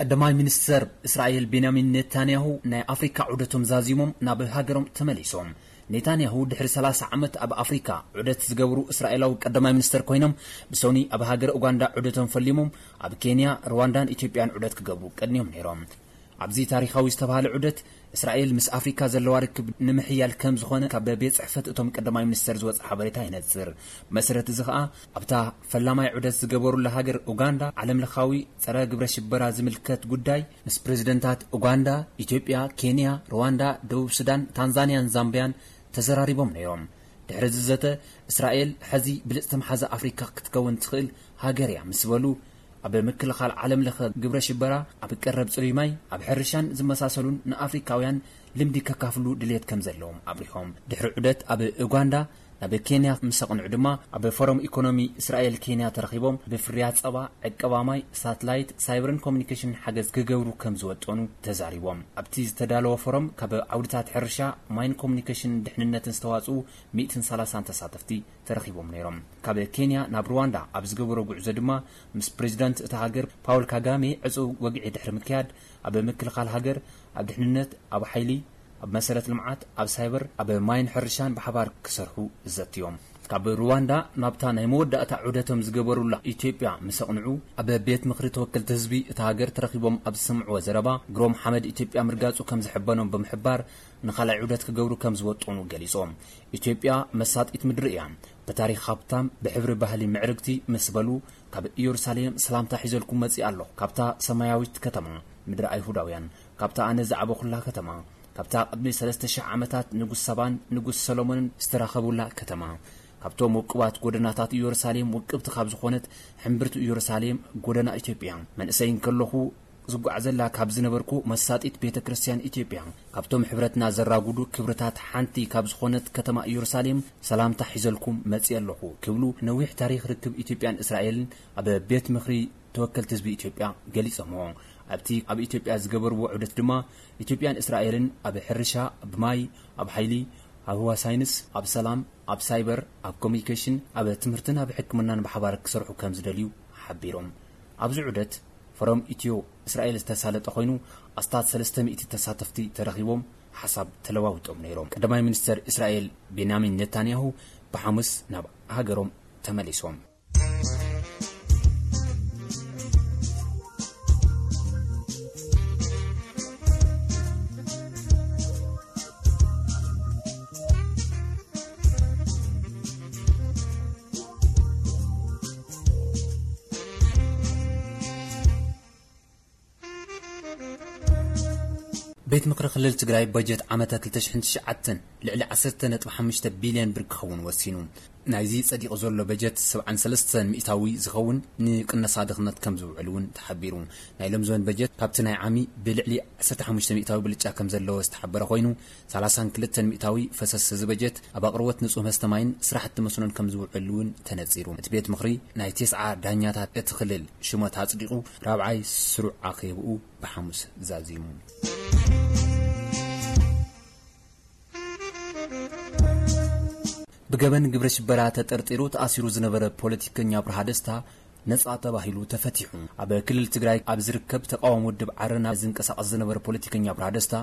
ቀዳማይ ሚኒስተር እስራኤል ቤንያሚን ኔታንያሁ ናይ ኣፍሪካ ዑደቶም ዛዚሞም ናብ ሃገሮም ተመሊሶም። ኔታንያሁ ድሕሪ ሰላሳ ዓመት ኣብ ኣፍሪካ ዑደት ዝገብሩ እስራኤላዊ ቀዳማይ ሚኒስተር ኮይኖም፣ ብሶኒ ኣብ ሃገር ኡጋንዳ ዑደቶም ፈሊሞም ኣብ ኬንያ፣ ሩዋንዳን ኢትዮጵያን ዑደት ክገብሩ ቀድንዮም ነይሮም። ኣብዚ ታሪኻዊ ዝተባህለ ዑደት እስራኤል ምስ ኣፍሪካ ዘለዋ ርክብ ንምሕያል ከም ዝኾነ ካብ ቤት ጽሕፈት እቶም ቀዳማይ ሚኒስተር ዝወጸ ሓበሬታ ይነጽር። መሰረት እዚ ኸኣ ኣብታ ፈላማይ ዑደት ዝገበሩላ ሃገር ኡጋንዳ ዓለምለኻዊ ጸረ ግብረ ሽበራ ዝምልከት ጉዳይ ምስ ፕሬዝደንታት ኡጋንዳ፣ ኢትዮጵያ፣ ኬንያ፣ ሩዋንዳ፣ ደቡብ ሱዳን፣ ታንዛንያን ዛምቢያን ተዘራሪቦም ነይሮም። ድሕሪ እዚ ዘተ እስራኤል ሕዚ ብልጽቲ መሓዛ ኣፍሪካ ክትከውን ትኽእል ሃገር እያ ምስ በሉ፣ ኣብ ምክልኻል ዓለም ለኸ ግብረ ሽበራ፣ ኣብ ቀረብ ጽሩይ ማይ፣ ኣብ ሕርሻን ዝመሳሰሉን ንኣፍሪካውያን ልምዲ ከካፍሉ ድልየት ከም ዘለዎም ኣብሪሆም። ድሕሪ ዑደት ኣብ ኡጋንዳ ናብ ኬንያ ምስ ኣቕንዑ ድማ ኣብ ፎረም ኢኮኖሚ እስራኤል ኬንያ ተረኺቦም ብፍርያት ጸባ፣ ዕቀባ ማይ፣ ሳትላይት፣ ሳይበርን ኮሙኒኬሽን ሓገዝ ክገብሩ ከም ዝወጠኑ ተዛሪቦም። ኣብቲ ዝተዳለወ ፎረም ካብ ዓውድታት ሕርሻ፣ ማይን ኮሙኒኬሽን ድሕንነትን ዝተዋጽኡ ሚእትን ሰላሳን ተሳተፍቲ ተረኺቦም ነይሮም። ካብ ኬንያ ናብ ሩዋንዳ ኣብ ዝገበሮ ጉዕዞ ድማ ምስ ፕሬዚዳንት እታ ሃገር ፓውል ካጋሜ ዕጹው ወግዒ ድሕሪ ምክያድ ኣብ ምክልኻል ሃገር፣ ኣብ ድሕንነት፣ ኣብ ሓይሊ፣ ኣብ መሰረት ልምዓት፣ ኣብ ሳይበር፣ ኣብ ማይን ሕርሻን ብሓባር ክሰርሑ ዘትዮም። ካብ ሩዋንዳ ናብታ ናይ መወዳእታ ዑደቶም ዝገበሩላ ኢትዮጵያ ምስ ኣቕንዑ፣ ኣብ ቤት ምኽሪ ተወከልቲ ህዝቢ እታ ሃገር ተረኺቦም ኣብ ዝሰምዕዎ ዘረባ፣ ግሮም ሓመድ ኢትዮጵያ ምርጋጹ ከም ዝሕበኖም ብምሕባር፣ ንኻልኣይ ዑደት ክገብሩ ከም ዝወጠኑ ገሊጾም። ኢትዮጵያ መሳጢት ምድሪ እያ። ብታሪኽ ሃብታም፣ ብሕብሪ ባህሊ ምዕርግቲ ምስ በሉ፣ ካብ ኢየሩሳሌም ሰላምታ ሒዘልኩም መጺእ ኣለኹ። ካብታ ሰማያዊት ከተማ፣ ምድሪ ኣይሁዳውያን፣ ካብታ ኣነ ዝዓበኹላ ከተማ፣ ካብታ ቅድሚ ሰለስተ ሽሕ ዓመታት ንጉስ ሳባን ንጉስ ሰሎሞንን ዝተራኸቡላ ከተማ፣ ካብቶም ውቁባት ጎደናታት ኢየሩሳሌም ውቅብቲ ካብ ዝኾነት ሕምብርቲ ኢየሩሳሌም ጎደና ኢትዮጵያ፣ መንእሰይ እንከለኹ ዝጓዓዘላ ካብ ዝነበርኩ መሳጢት ቤተ ክርስቲያን ኢትዮጵያ፣ ካብቶም ሕብረትና ዘራጉዱ ክብርታት ሓንቲ ካብ ዝኾነት ከተማ ኢየሩሳሌም ሰላምታ ሒዘልኩም መጺእ ኣለኹ ክብሉ ነዊሕ ታሪኽ ርክብ ኢትዮጵያን እስራኤልን ኣብ ቤት ምኽሪ ተወከልቲ ህዝቢ ኢትዮጵያ ገሊጾምዎ። ኣብቲ ኣብ ኢትዮጵያ ዝገበርዎ ዑደት ድማ ኢትዮጵያን እስራኤልን ኣብ ሕርሻ፣ ኣብ ማይ፣ ኣብ ሓይሊ፣ ኣብ ህዋ ሳይንስ፣ ኣብ ሰላም፣ ኣብ ሳይበር፣ ኣብ ኮሙኒኬሽን፣ ኣብ ትምህርትን ኣብ ሕክምናን ብሓባር ክሰርሑ ከም ዝደልዩ ሓቢሮም። ኣብዚ ዑደት ፎረም ኢትዮ እስራኤል ዝተሳለጠ ኮይኑ፣ ኣስታት ሰለስተ ሚእቲ ተሳተፍቲ ተረኺቦም ሓሳብ ተለዋውጦም ነይሮም። ቀዳማይ ሚኒስተር እስራኤል ቤንያሚን ኔታንያሁ ብሓሙስ ናብ ሃገሮም ተመሊሶም። ቤት ምኽሪ ክልል ትግራይ በጀት ዓመተ ክልተ ሽሕን ትሽዓተን ልዕሊ ዓሰርተ ነጥቢ ሓሙሽተ ቢልዮን ብር ክኸውን ወሲኑ። ናይዚ ጸዲቑ ዘሎ በጀት ሰብዓን ሰለስተን ሚእታዊ ዝኸውን ንቅነሳ ድኽነት ከም ዝውዕል እውን ተሓቢሩ። ናይ ሎም ዘበን በጀት ካብቲ ናይ ዓሚ ብልዕሊ ዓሰርተ ሓሙሽተ ሚእታዊ ብልጫ ከም ዘለዎ ዝተሓበረ ኮይኑ፣ ሰላሳን ክልተን ሚእታዊ ፈሰስ እዚ በጀት ኣብ ኣቕርቦት ንጹህ መስተ ማይን ስራሕቲ መስኖን ከም ዝውዕል እውን ተነጺሩ። እቲ ቤት ምኽሪ ናይ ቴስዓ ዳኛታት እቲ ክልል ሽመት ኣጽዲቑ ራብዓይ ስሩዕ ኣኼብኡ ብሓሙስ ዛዚሙ። ብገበን ግብረ ሽበራ ተጠርጢሩ ተኣሲሩ ዝነበረ ፖለቲከኛ ኣብርሃ ደስታ ነጻ ተባሂሉ ተፈቲሑ። ኣብ ክልል ትግራይ ኣብ ዝርከብ ተቃዋሚ ውድብ ዓረና ዝንቀሳቐስ ዝነበረ ፖለቲከኛ ኣብርሃ ደስታ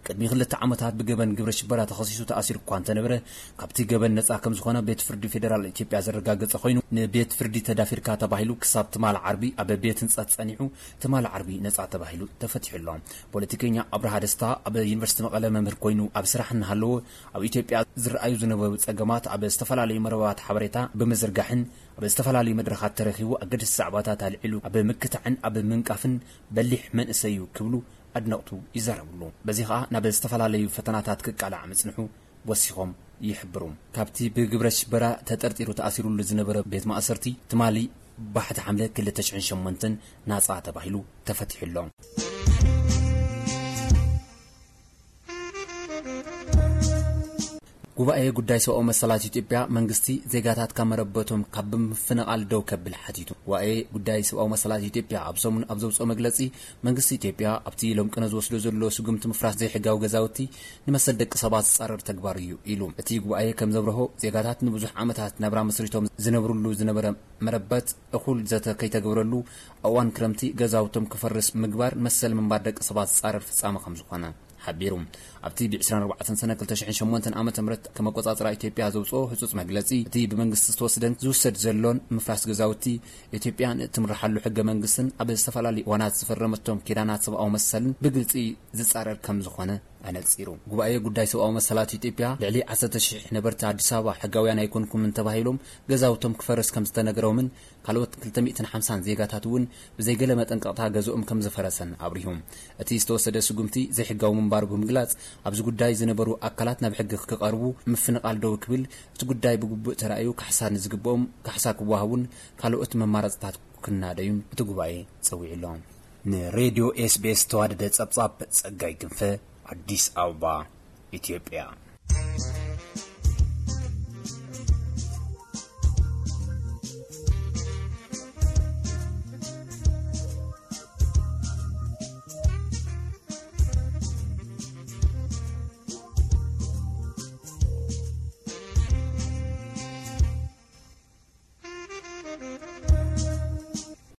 ቅድሚ ክልተ ዓመታት ብገበን ግብረ ሽበራ ተኸሲሱ ተኣሲሩ እኳ እንተነበረ፣ ካብቲ ገበን ነጻ ከም ዝኾነ ቤት ፍርዲ ፌደራል ኢትዮጵያ ዘረጋገጸ ኮይኑ፣ ንቤት ፍርዲ ተዳፊርካ ተባሂሉ ክሳብ ትማል ዓርቢ ኣብ ቤት ህንጸት ጸኒሑ፣ ትማል ዓርቢ ነጻ ተባሂሉ ተፈቲሑ ኣሎ። ፖለቲከኛ ኣብርሃ ደስታ ኣብ ዩኒቨርሲቲ መቐለ መምህር ኮይኑ ኣብ ስራሕ እናሃለወ፣ ኣብ ኢትዮጵያ ዝረኣዩ ዝነበሩ ጸገማት ኣብ ዝተፈላለዩ መርበባት ሓበሬታ ብምዝርጋሕን ኣብ ዝተፈላለዩ መድረኻት ተረኺቡ ኣገደስቲ ዛዕባታት ኣልዒሉ ኣብ ምክታዕን ኣብ ምንቃፍን በሊሕ መንእሰይ እዩ ክብሉ ኣድነቕቱ ይዛረብሉ። በዚ ኸኣ ናብ ዝተፈላለዩ ፈተናታት ክቃላዕ ምጽንሑ ወሲኾም ይሕብሩ። ካብቲ ብግብረ ሽበራ ተጠርጢሩ ተኣሲሩሉ ዝነበረ ቤት ማእሰርቲ ትማሊ ባሕቲ ሓምለ ክልተ ሽሕን ሸሞንተን ናጻ ተባሂሉ ተፈቲሑ ኣሎ። ጉባኤ ጉዳይ ሰብኣዊ መሰላት ኢትዮጵያ መንግስቲ ዜጋታት ካብ መረበቶም ካብ ብምፍንቓል ደው ከብል ሓቲቱ። ጉባኤ ጉዳይ ሰብኣዊ መሰላት ኢትዮጵያ ኣብ ሰሙን ኣብ ዘውፅኦ መግለፂ፣ መንግስቲ ኢትዮጵያ ኣብቲ ሎም ቅነ ዝወስዶ ዘሎ ስጉምቲ ምፍራስ ዘይሕጋዊ ገዛውቲ ንመሰል ደቂ ሰባት ዝፃረር ተግባር እዩ ኢሉ። እቲ ጉባኤ ከም ዘብረሆ፣ ዜጋታት ንብዙሕ ዓመታት ናብራ መስሪቶም ዝነብሩሉ ዝነበረ መረበት እኹል ዘተ ከይተገብረሉ፣ እዋን ክረምቲ ገዛውቶም ክፈርስ ምግባር መሰል ምንባር ደቂ ሰባት ዝፃረር ፍፃመ ከም ዝኾነ ሓቢሩ። ኣብቲ ብ ዕስራን ኣርባዕተን ሰነ ክልተ ሽሕን ሸሞንተን ዓመተ ምህረት ከም ኣቆጻጽራ ኢትዮጵያ ዘውጽኦ ህጹጽ መግለጺ፣ እቲ ብመንግስቲ ዝተወስደን ዝውሰድ ዘሎን ምፍራስ ገዛውቲ፣ ኢትዮጵያ ንእትምርሓሉ ሕገ መንግስትን ኣብ ዝተፈላለዩ እዋናት ዝፈረመቶም ኪዳናት ሰብኣዊ መሰልን ብግልጺ ዝጻረር ከም ዝኾነ ኣነጺሩ። ጉባኤ ጉዳይ ሰብኣዊ መሰላት ኢትዮጵያ፣ ልዕሊ ዓሰርተ ሽሕ ነበርቲ ኣዲስ ኣበባ ሕጋውያን ኣይኮንኩምን ተባሂሎም ገዛውቶም ክፈርስ ከም ዝተነገሮምን ካልኦት ክልተ ሚእትን ሓምሳን ዜጋታት እውን ብዘይገለ መጠንቀቕታ ገዝኦም ከም ዝፈረሰን ኣብሪሁ። እቲ ዝተወሰደ ስጉምቲ ዘይሕጋዊ ምንባሩ ብምግላጽ፣ ኣብዚ ጉዳይ ዝነበሩ ኣካላት ናብ ሕጊ ክቐርቡ፣ ምፍንቓል ደው ክብል፣ እቲ ጉዳይ ብግቡእ ተራእዩ ካሕሳ ንዝግብኦም ካሕሳ ክወሃቡን ካልኦት መማረጽታት ክናደዩን እቲ ጉባኤ ጸዊዑ ኣሎ። ንሬድዮ ኤስቢኤስ ዝተዋደደ ጸብጻብ ጸጋይ ክንፈ፣ ኣዲስ ኣበባ፣ ኢትዮጵያ።